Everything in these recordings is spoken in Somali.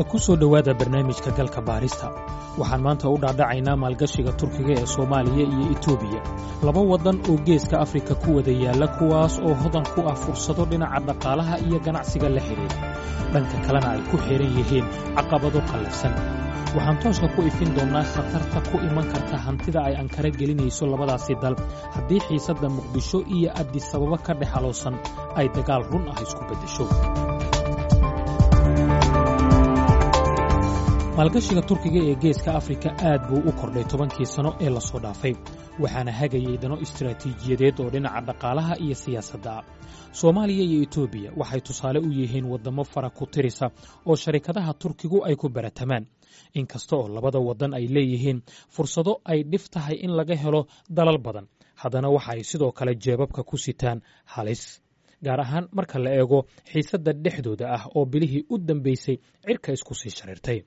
Ku soo dhowaada barnaamijka Galka Baarista. Waxaan maanta u dhaadhacaynaa maalgashiga Turkiga ee Soomaaliya iyo Itoobiya, laba waddan oo Geeska Afrika ku wada yaalla, kuwaas oo hodan ku ah fursado dhinaca dhaqaalaha iyo ganacsiga la xidhiidha, dhanka kalena ay ku xidhan yihiin caqabado qallafsan. Waxaan tooska ku ifin doonnaa khatarta ku iman karta hantida ay Ankara gelinayso labadaasi dal haddii xiisadda Muqdisho iyo Addisababo ka dhex aloosan ay dagaal run ah isku beddesho. Maalgashiga Turkiga ee Geeska Afrika aad buu u kordhay 10kii sano ee lasoo dhaafay, waxaana hagayay dano istaraatiijiyadeed oo dhinaca dhaqaalaha iyo siyaasadda ah. Soomaaliya iyo Etoobiya waxay tusaale u yihiin waddamo fara ku tirisa oo sharikadaha Turkigu ay ku baratamaan. Inkasta oo labada waddan ay leeyihiin fursado ay dhif tahay in laga helo dalal badan, haddana waxa ay sidoo kale jeebabka ku sitaan halis, gaar ahaan marka la eego xiisadda dhexdooda ah oo bilihii u dambeysay cirka isku sii shareertay.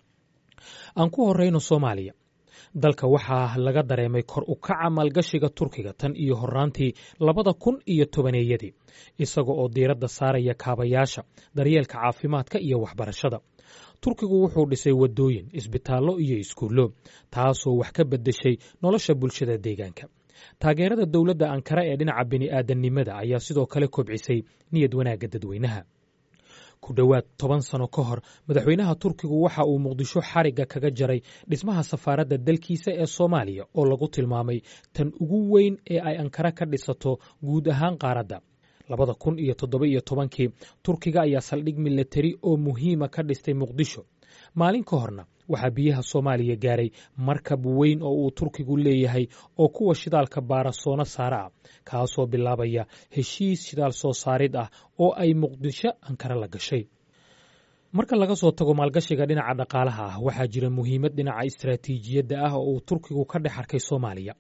Aan ku horrayno Soomaaliya. Dalka waxaa laga dareemay kor u kaca maalgashiga Turkiga tan iyo horraantii 2010-eeyadii, isaga oo diiradda saaraya kaabayaasha, daryeelka caafimaadka iyo waxbarashada. Turkigu wuxuu dhisay waddooyin, isbitaallo iyo iskuullo, taasoo wax ka beddeshay nolosha bulshada deegaanka. Taageerada dowladda Ankara ee dhinaca bini'aadannimada ayaa sidoo kale kobcisay niyad wanaagga dadweynaha. Ku dhowaad 10 sano ka hor, madaxweynaha Turkigu waxa uu Muqdisho xarigga kaga jaray dhismaha safaaradda dalkiisa ee Soomaaliya, oo lagu tilmaamay tan ugu weyn ee ay Ankara ka dhisato guud ahaan qaaradda. 2017kii Turkiga ayaa saldhig milatari oo muhiima ka dhistay Muqdisho. Maalin ka horna waxaa biyaha Soomaaliya gaaray markab weyn oo uu Turkigu leeyahay oo kuwa shidaalka baara soona saara ah, kaasoo bilaabaya heshiis shidaal soo saarid ah oo ay Muqdisho Ankara la gashay. Marka laga soo tago maalgashiga dhinaca dhaqaalaha ah, waxaa jira muhiimad dhinaca istaraatiijiyadda ah oo uu Turkigu ka dhex arkay Soomaaliya.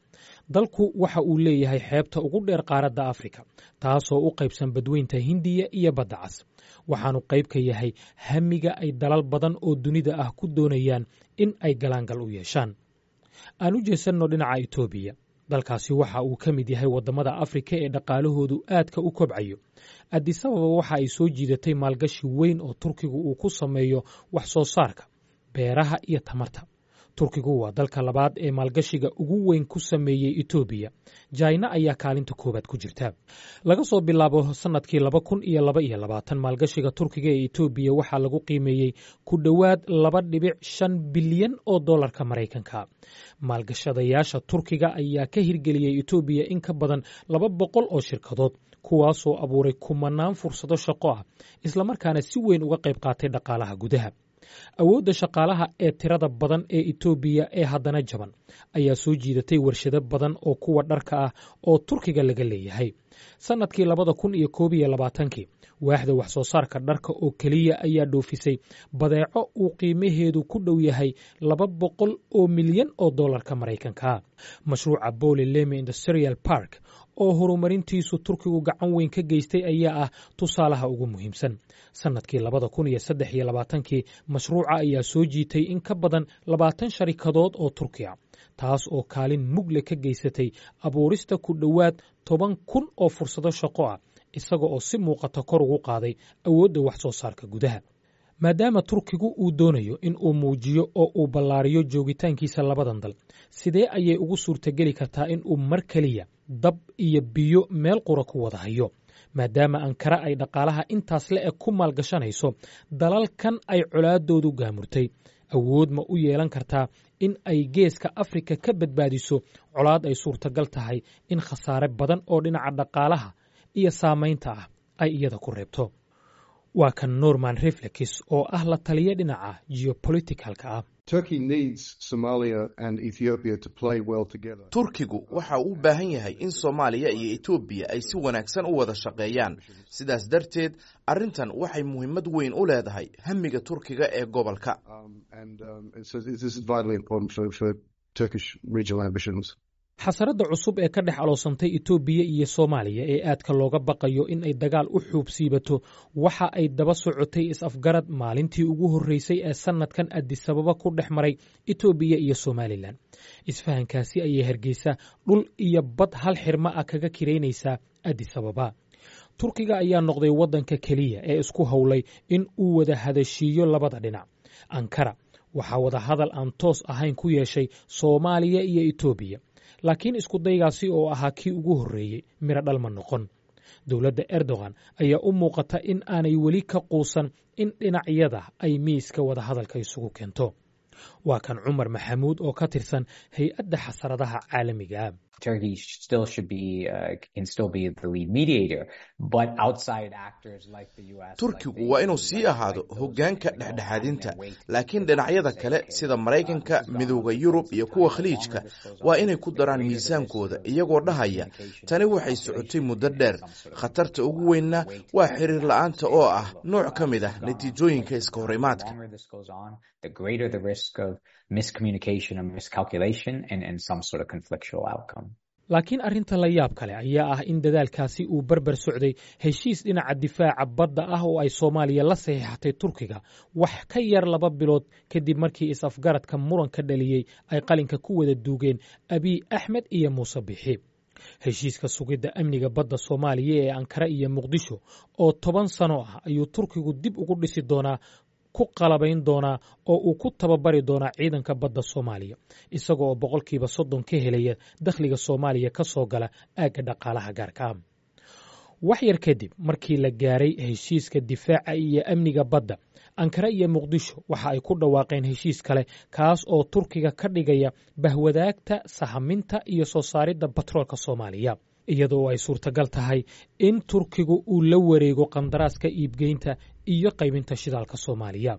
Dalku waxa uu leeyahay xeebta ugu dheer qaaradda Afrika, taasoo u qaybsan Badweynta Hindiya iyo Badda Cas. Waxaanu qayb ka yahay hamiga ay dalal badan oo dunida ah ku doonayaan in ay galaangal u yeeshaan. Aan u jeesanno dhinaca Itoobiya. Dalkaasi waxa uu ka mid yahay waddamada Afrika ee dhaqaalahoodu aadka u kobcayo. Addisababa waxa ay soo jiidatay maalgashi weyn oo Turkigu uu ku sameeyo wax soo saarka beeraha iyo tamarta. Turkigu waa dalka labaad ee maalgashiga ugu weyn ku sameeyey Etoobiya. Jaina ayaa kaalinta koowaad ku jirta. Laga soo bilaabo sannadkii 2022, maalgashiga Turkiga ee Etoobiya waxaa lagu qiimeeyey ku dhowaad 2.5 bilyan oo dollarka Maraykanka. Maalgashadayaasha Turkiga ayaa ka hirgeliyey Etoobiya in ka badan 200 oo shirkadood, kuwaasoo abuuray kumanaan fursado shaqo ah, islamarkaana si weyn uga qayb qaatay dhaqaalaha gudaha. Awoodda shaqaalaha ee tirada badan ee Etoobiya ee haddana jaban ayaa soo jiidatay warshado badan oo kuwa dharka ah oo Turkiga laga leeyahay. Sannadkii 2021kii, waaxda wax soo saarka dharka oo keliya ayaa dhoofisay badeeco uu qiimaheedu ku dhow yahay 200 oo milyan oo dollarka Maraykanka. Mashruuca Bole Leme Industrial Park oo horumarintiisu Turkigu gacan weyn ka geystay ayaa ah tusaalaha ugu muhiimsan. Sannadkii 2023kii mashruuca ayaa soo jiitay in ka badan 20 sharikadood oo Turkiya, taas oo kaalin mugle ka geysatay abuurista ku dhowaad 10,000 oo fursado shaqo ah, isaga oo si muuqata kor ugu qaaday awoodda wax soo saarka gudaha. Maadaama Turkigu uu doonayo in uu muujiyo oo uu ballaariyo joogitaankiisa labadan dal, sidee ayay ugu suurtageli kartaa in uu mar keliya dab iyo biyo meel qura ku wada hayo, maadaama Ankara ay dhaqaalaha intaas la eg ku maalgashanayso dalalkan ay colaadoodu gaamurtay? Awood ma u yeelan kartaa in ay Geeska Afrika ka badbaadiso colaad ay suurtagal tahay in khasaare badan oo dhinaca dhaqaalaha iyo saamaynta ah ay iyada ku reebto? Waa kan Norman Reflex oo ah la taliya dhinaca geopoliticalka ah. Turkigu waxa uu u baahan yahay in Soomaaliya iyo Etoobiya ay si wanaagsan u wada shaqeeyaan. Sidaas darteed, arrintan waxay muhiimad weyn u leedahay hamiga Turkiga ee gobolka. Xasaradda cusub ee ka dhex aloosantay Itoobiya iyo Soomaaliya ee aadka looga baqayo in ay dagaal u xuubsiibato waxa ay daba socotay is-afgarad maalintii ugu horreysay ee sannadkan Addisababa ku dhex maray Itoobiya iyo Somalilan. Isfahankaasi ayay Hargeysa dhul iyo bad hal xirma ah kaga kiraynaysaa Addisababa. Turkiga ayaa noqday waddanka keliya ee isku howlay in uu wada hadashiiyo labada dhinac. Ankara waxaa wadahadal aan toos ahayn ku yeeshay Soomaaliya iyo Etoobiya, laakiin iskudaygaasi oo ahaa kii ugu horreeyey miro dhalma noqon. Dowladda Erdogan ayaa u muuqata in aanay weli ka quusan in dhinacyada ay miiska wadahadalka isugu keento. Waa kan Cumar Maxamuud oo ka tirsan hay-adda xasaradaha caalamiga. Turkigu waa inuu sii ahaado hoggaanka dhexdhexaadinta, laakiin dhinacyada kale sida Maraykanka, Midowda Yurub iyo kuwa Khaliijka waa inay ku daraan miisaankooda, iyagoo dhahaya tani waxay socotay muddo dheer, khatarta ugu weynna waa xiriir la'aanta oo ah nooc ka mid ah natiijooyinka iska hor imaadka. Laakiin arrinta la yaab kale ayaa ah in dadaalkaasi uu barbar socday heshiis dhinaca difaaca badda ah oo ay Soomaaliya la saxiixatay Turkiga wax ka yar 2 bilood kadib markii is-afgaradka muranka dhaliyey ay qalinka ku wada duugeen Abiy Axmed iyo Muuse Bixi. Heshiiska sugidda amniga badda Soomaaliya ee Ankara iyo Muqdisho oo 10 sano ah ayuu Turkigu dib ugu dhisi doonaa, ku qalabayn doonaa oo uu ku tababari doonaa ciidanka badda Soomaaliya, isaga oo 30% ka helaya dakhliga Soomaaliya ka soo gala aagga dhaqaalaha gaarka ah. Wax yar kadib markii la gaaray heshiiska difaaca iyo amniga badda, Ankara iyo Muqdisho waxa ay ku dhawaaqeen heshiis kale, kaas oo Turkiga ka dhigaya bahwadaagta sahaminta iyo soo saaridda batroolka Soomaaliya, iyadoo ay suurtagal tahay in Turkigu uu la wareego qandaraaska iibgeynta iyo qaybinta shidaalka Soomaaliya.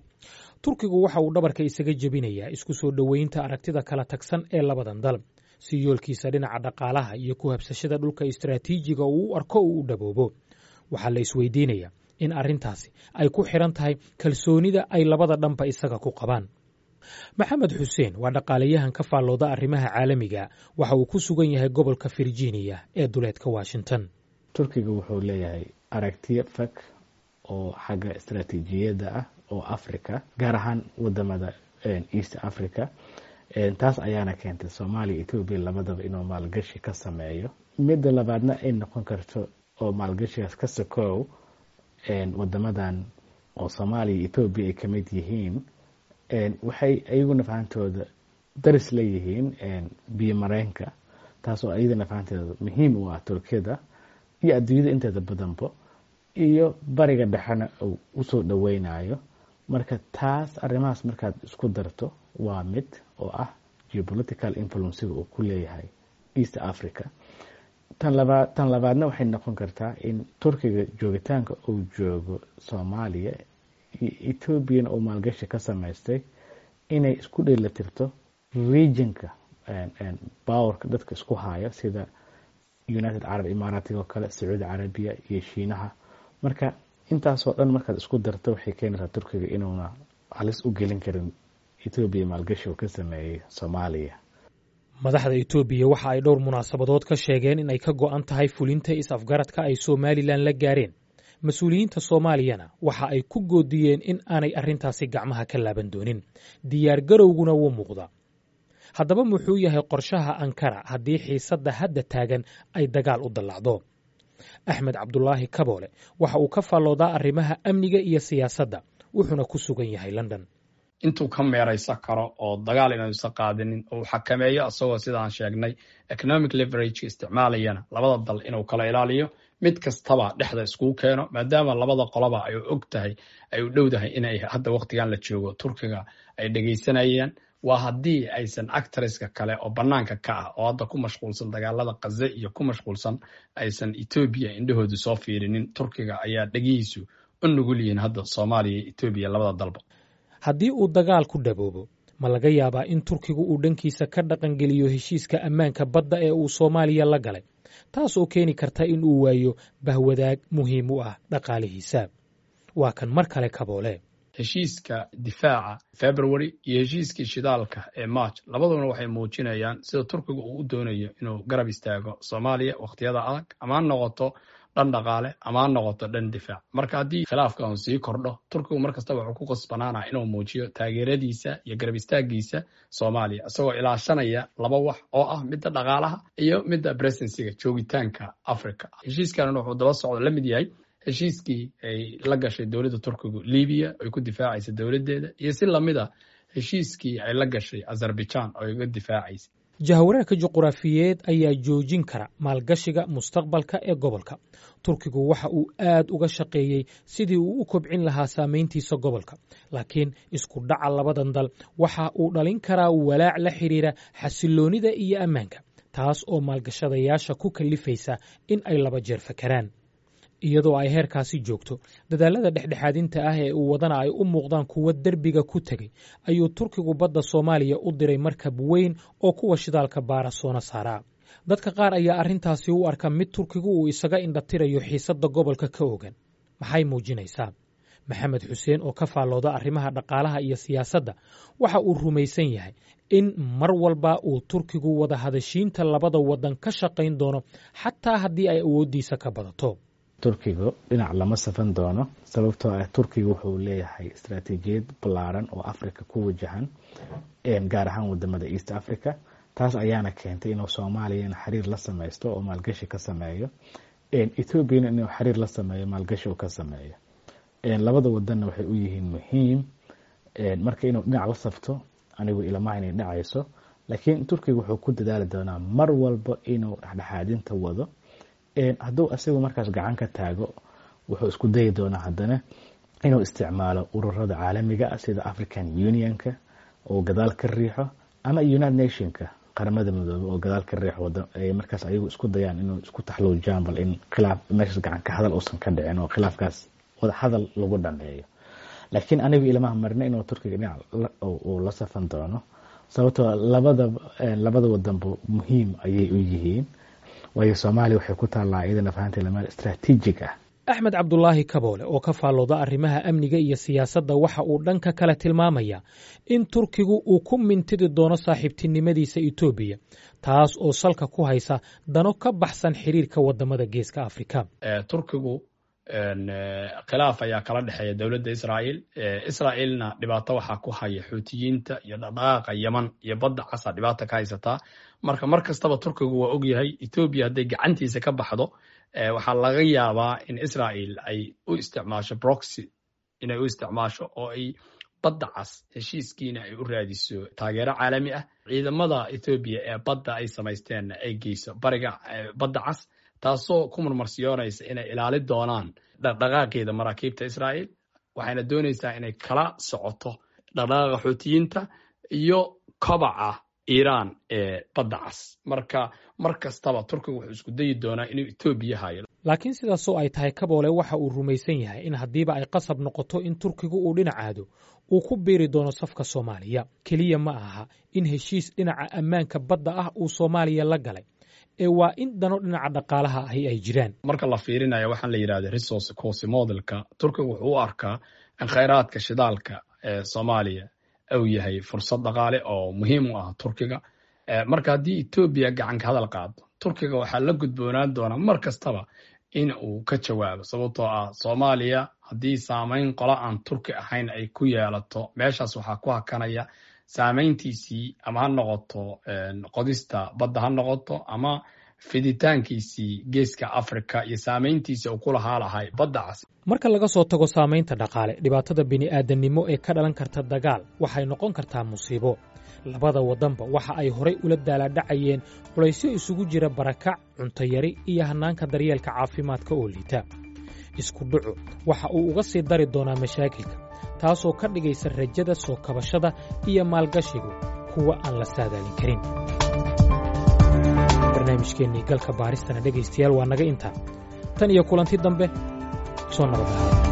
Turkigu waxa uu dhabarka isaga jebinayaa isku soo dhoweynta aragtida kala tagsan ee labadan dal, si yoolkiisa dhinaca dhaqaalaha iyo ku habsashada dhulka istaraatiijiga uu u arko uu u dhaboobo. Waxaa la isweydiinayaa in arrintaasi ay ku xidhan tahay kalsoonida ay labada dhanba isaga ku qabaan. Maxamed Xuseen waa dhaqaalayahan ka faallooda arrimaha caalamiga. Waxa uu ku sugan yahay gobolka Virginia ee duleedka Washington. Turkiga wuxuu leeyahay aragtiyo fog oo xagga istaraatiijiyadda ah oo Africa, gaar ahaan wadamada East Africa. Taas ayaana keentay Soomaaliya, Etoobiya labadaba inuu maalgashi ka sameeyo. Midda labaadna ay noqon karto oo maalgashigaas ka sokow, wadamadan oo Soomaaliya, Etoobiya ay kamid yihiin waxay iyaguna fahantooda daris leeyihiin biyo mareenka, taasoo iyadana fahanteeda muhiim u ah Turkiyada iyo adduunyada inteeda badanbo, iyo Bariga Dhexena uu usoo dhaweynayo. Marka taas arrimahaas markaad isku darto, waa mid oo ah geopolitical influencega uu ku leeyahay East Africa. Tan labaadna waxay noqon kartaa in Turkiga joogitaanka uu joogo Soomaaliya iyo Etoobiyana uu maalgashi ka samaystay inay isku dheelitirto regionka powerka dadka isku haya, sida United Arab Imaaraatiga oo kale, Sacuudi Carabiya iyo Shiinaha. Marka intaasoo dhan markaad isku darto, waxay keenaysaa Turkiga inuuna halis u gelin karin Etoobiya maalgashi uu ka sameeyey Soomaaliya. Madaxda Etoobiya waxa ay dhowr munaasabadood ka sheegeen in ay ka go'an tahay fulinta is-afgaradka ay Somalilan la gaareen. Mas-uuliyiinta Soomaaliyana waxa ay ku goodiyeen in aanay arrintaasi gacmaha ka laaban doonin. Diyaar garowguna wuu muuqdaa. Haddaba muxuu yahay qorshaha Ankara haddii xiisadda hadda taagan ay dagaal u dallacdo? Axmed Cabdulaahi Kaboole waxa uu ka faalloodaa arrimaha amniga iyo siyaasadda, wuxuuna ku sugan yahay London. Intuu ka meeraysan karo oo dagaal inuusan qaadinin oo uu xakameeyo, isagoo sidaan sheegnay economic leverage isticmaalayana, labada dal inuu kala ilaaliyo, mid kastaba dhexda iskugu keeno, maadaama labada qoloba ay og tahay, ay u dhowdahay inay hadda waqtigan la joogo Turkiga ay dhegaysanayaan. Waa haddii aysan actorska kale oo banaanka ka ah oo hadda ku mashquulsan dagaalada Qaze iyo ku mashquulsan aysan Etoobiya indhahoodu soo fiirinin. Turkiga ayaa dhegihiisu u nugul yihiin hadda Soomaaliya iyo Etoobiya labada dalba. Haddii uu dagaal ku dhaboobo, ma laga yaabaa in Turkigu uu dhankiisa ka dhaqangeliyo heshiiska ammaanka badda ee uu Soomaaliya la galay, taas oo keeni karta in uu waayo bahwadaag muhiim u ah dhaqaalihiisa? Waa kan mar kale Kaboole. Heshiiska difaaca February iyo heshiiskii shidaalka ee March labaduna waxay muujinayaan sida Turkiga uu u doonayo inuu garab istaago Soomaaliya wakhtiyada adag, ama ha noqoto dhan dhaqaale ama ha noqoto dhan difaac. Marka haddii khilaafka uu sii kordho, Turkigu mar kastaba wuxuu ku qasbanaanaa inuu muujiyo taageeradiisa iyo garab istaagiisa Soomaaliya, isagoo ilaashanaya laba wax oo ah midda dhaqaalaha iyo midda presencega, joogitaanka Africa. Heshiiskanuna wuxuu daba socdo la mid yahay Heshiiskii ay la gashay dowladda Turkigu Libiya ay ku difaacaysa dowladdeeda, iyo si lamid a heshiiskii ay la gashay Azerbaijan oo ay uga difaacaysa. Jahawareerka juquraafiyeed ayaa joojin kara maalgashiga mustaqbalka ee gobolka. Turkigu waxa uu aad uga shaqeeyey sidii uu u kobcin lahaa saamayntiisa gobolka, laakiin isku dhaca labadan dal waxa uu dhalin karaa walaac la xidhiira xasiloonnida iyo ammaanka, taas oo maalgashadayaasha ku kalifaysa in ay laba jeer fakaraan. Iyadoo ay heerkaasi joogto, dadaalada dhexdhexaadinta ah ee uu wadana ay u muuqdaan kuwo derbiga ku tegey, ayuu Turkigu badda Soomaaliya u diray markab weyn oo kuwa shidaalka baara soona saaraa. Dadka qaar ayaa arrintaasi u arka mid Turkigu uu isaga indhatirayo xiisadda gobolka ka ogan. Maxay muujinaysaa? Maxamed Xuseen oo ka faallooda arrimaha dhaqaalaha iyo siyaasadda waxa uu rumaysan yahay in mar walba uu Turkigu wada hadashiinta labada waddan ka shaqayn doono, xataa haddii ay awooddiisa ka badato. Turkigu dhinac lama safan doono, sababtoo ah Turkiga wuxuu leeyahay istaraatiijiyad ballaaran oo Africa ku wajahan, gaar ahaan wadamada East Africa. Taas ayaana keentay inuu Soomaaliyana xiriir la sameysto oo maalgashi ka sameeyo, Ethoobiana inuu xiriir la sameeyo, maalgashi uu ka sameeyo. Labada wadanna waxay u yihiin muhiim. Marka inuu dhinac la safto anigu ilamaha inay dhacayso, laakiin Turkiga wuxuu ku dadaali doonaa mar walba inuu dhexdhexaadinta wado. Hadduu asigu markaas gacan ka taago, wuxuu isku dayi doonaa haddana inuu isticmaalo ururada caalamiga ah sida African Unionka oo gadaal ka riixo, ama United Nationka, Qaramada Midoobey, oo gadaal ka riixo. Ay markaas ayagu isku dayaan inuu isku taxluujaan bal in khilaaf meeshaas gacan ka hadal uusan ka dhicin oo khilaafkaas wada hadal lagu dhameeyo. Laakiin anigu ilamaha marna inuu Turkiga dhinac uu la safan doono, sababtoo labada wadanba muhiim ayay u yihiin, waayo Soomaaliya waxay ku taallaa iyadana fahanteeda meel istaraatiijig ah. Axmed Cabdulaahi Kaboole oo ka faallooda arrimaha amniga iyo siyaasadda waxa uu dhanka kale tilmaamaya in Turkigu uu ku mintidi doono saaxiibtinimadiisa Etoobiya, taas oo salka ku haysa dano ka baxsan xiriirka wadamada Geeska Afrika. Turkigu khilaaf ayaa kala dhexeeya dowladda Israa'iil. Israa'iilna dhibaato waxaa ku haya Xuutiyiinta iyo dhaqdhaqaaqa Yeman iyo badda Casa dhibaata ka haysataa. Marka mar kastaba Turkigu waa ogyahay Etoobiya hadday gacantiisa ka baxdo, waxaa laga yaabaa in Israa'iil ay u isticmaasho proxy, inay u isticmaasho oo ay badda Cas heshiiskiina ay u raadiso taageero caalami ah, ciidamada Etoobiya ee badda ay samaysteenna ay geyso bariga badda Cas, taasoo ku marmarsiyoonaysa inay ilaali doonaan dhaqdhaqaaqeeda maraakiibta Israa'iil. Waxayna doonaysaa inay kala socoto dhaqdhaqaaqa Xuutiyiinta iyo kobaca Iiraan ee badda Cas. Marka mar kastaba Turkiga wuxuu isku dayi doonaa inuu Etoobiya hayo. Laakiin sidaasoo ay tahay, Kaboole waxa uu rumaysan yahay in haddiiba ay qasab noqoto in Turkigu uu dhinacaado, uu ku biiri doono safka Soomaaliya. Keliya ma aha in heshiis dhinaca ammaanka badda ah uu Soomaaliya la galay, ee waa in dano dhinaca dhaqaalaha ahi ay jiraan. Marka la fiirinayo waxaan la yidhahda resource cost modelka, Turkiga wuxuu u arkaa in khayraadka shidaalka ee Soomaaliya uu yahay fursad dhaqaale oo muhiim u ah Turkiga. Marka haddii Etoobiya gacanka hadal qaado, Turkiga waxaa la gudboonaan doonaa mar kastaba in uu ka jawaabo, sababtoo ah Soomaaliya haddii saamayn qola aan Turki ahayn ay ku yeelato meeshaas, waxaa ku hakanaya saamayntiisii, ama ha noqoto qodista badda, ha noqoto ama fiditaankiisii Geeska Africa iyo saamayntiisii uu ku lahaa lahay badda Cas. Marka laga soo tago saamaynta dhaqaale, dhibaatada bini'aadannimo ee ka dhalan karta dagaal waxay noqon kartaa musiibo. Labada waddanba waxa ay horay ula daalaadhacayeen culaysyo isugu jira barakac, cunto yari iyo hannaanka daryeelka caafimaadka oo liita. Isku dhacu waxa uu uga sii dari doonaa mashaakilka, taasoo ka dhigaysa rajada soo kabashada iyo maalgashigu kuwa aan la saadaalin karin. Barnaamijkeennii galka baaristana, dhegaystayaal, waa naga intaa. Tan iyo kulanti dambe, soo nabad ahaada.